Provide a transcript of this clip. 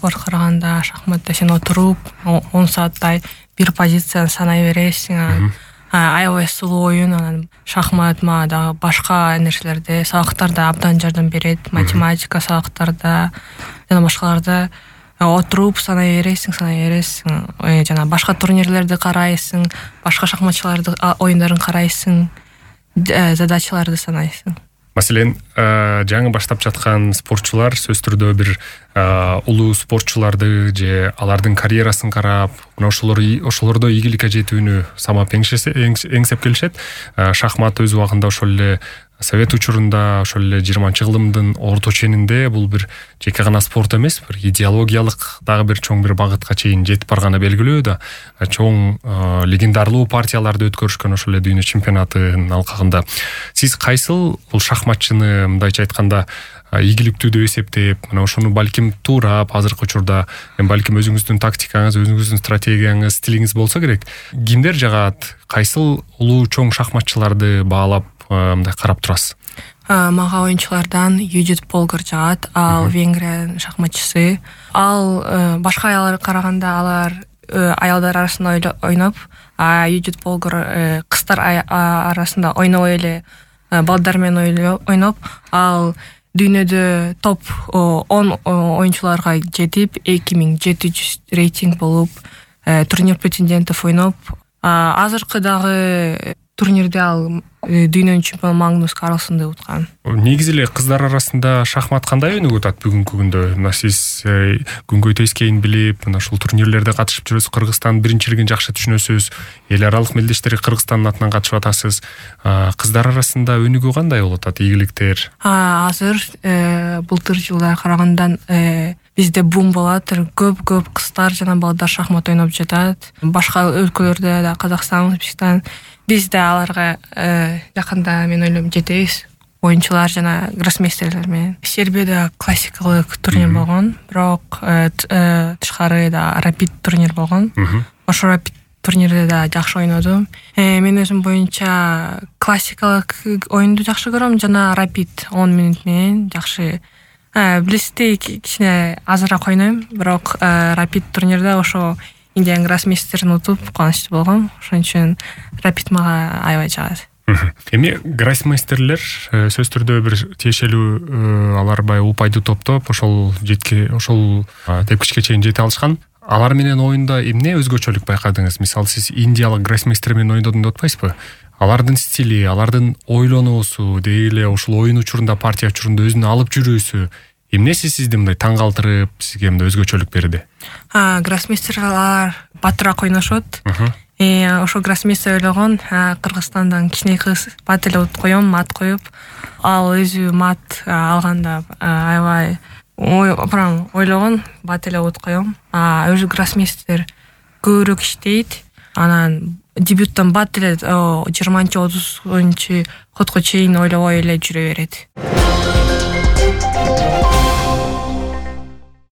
спорт караганда шахматта сен отуруп 10 сааттай бир позицияны санай бересиң. Аябай сулуу оюн. Анан шахмат дагы башка нерселерде, сабактарда абдан жардам берет. Математика сабактарда жана башкаларда отуруп санай бересиң. Жана башка турнирлерди карайсың, башка шахматчылардын оюндарын карайсың, задачаларды санайсың. Маселен, жаңы баштап жаткан спортчулар сөзсүз түрдө бир улуу спортчуларды же алардын карьерасын карап, ошолордо ийгиликке жетүүнү самап эңсеп келишет. Шахмат өз убагында ошол эле Совет учурунда, ошол эле 20-жылдын орто ченинде бул бир жеке гана спорт эмес, бир идеологиялык дагы бир чоң бир багытка чейин жетип барганы белгилүү да. Чоң легендарлуу партияларды өткөрүшкөн ошол эле дүйнө чемпионатынын алкагында. Сиз кайсыл бул шахматчыны мындайча айтканда ийгиликтүү деп эсептеп, мына ошону балким туурап азыркы учурда балким өзүңүздүн тактикаңыз, өзүңүздүн стратегияңыз, стилиңиз болсо керек. Кимдер жагат? Кайсыл улуу чоң шахматчыларды баалап мындай карап турасыз? Мага оюнчулардан Юдит Полгар жагат. Ал Венгриянын шахматчысы. Ал башка аялдарга караганда алар аялдар арасында ойноп, Юдит Полгар кыздар арасында ойнобой эле балдар менен ойноп, ал дүйнөдө топ 10 оюнчуларга жетип 2700 рейтинг болуп, турнир претендентов ойноп, азыркы дагы турнирде ал дүйнөнүн чемпиону Магнус Карлсонду уткан. Негизи эле кыздар арасында шахмат кандай өнүгүп атат бүгүнкү күндө? Мына сиз күнгөй тескейин билип, мына ушул турнирлерде катышып жүрөсүз, Кыргызстан биринчилигин жакшы түшүнөсүз, эл аралык мелдештери Кыргызстандын атынан катышып атасыз. Кыздар арасында өнүгүү кандай болуп атат, ийгиликтер? Азыр былтыр жылга караганда бизде бум болот, көп кыздар жана балдар шахмат ойноп жатат. Башка өлкөлөрдө да, Казакстан, Өзбекстан, бизде аларга жакында мен ойлойм жетебиз. Оюнчулар жана гроссмейстерлер менен. Сербияда классикалык турнир болгон, бирок тышкары да рапид турнир болгон. Ошо рапид турнирде да жакшы ойнодум. Мен өзүм боюнча классикалык оюнду жакшы көрөм жана рапид 10 мүнөт менен жакшы. Блисти кичине азыраак ойнойм, бирок рапид турнирде ошо Индиан гроссмейстерин утуп кубанычтуу болгом. Ошон үчүн рапид мага аябай жагат. Эми гроссмейстерлер сөзсүз түрдө бир тиешелүү алар бай упайды топтоп ошол тепкичке чейин жете алышкан. Алар менен оюнда эмне өзгөчөлүк байкадыңыз? Мисалы сиз индиялык гроссмейстер менен ойнодум деп атпайсызбы? Алардын стили, алардын ойлонуусу, деги эле ушул оюн учурунда, партия учурунда өзүнө алып жүрүүсү эмнеси сизди мындай таң калтырып, сизге мындай өзгөчөлүк берди? Гроссмейстерлер батыраак ойношот. Ошо гроссмейстер ойлогон, Кыргызстандан кичине кыз бат эле коём, мат коюп, ал өзү мат алганда аябай ойлогон, бат эле коём. Өзү гроссмейстер көбүрөөк иштейт. Анан дебюттан бат эле 20-30 ходко чейин ойлобой эле жүрө берет.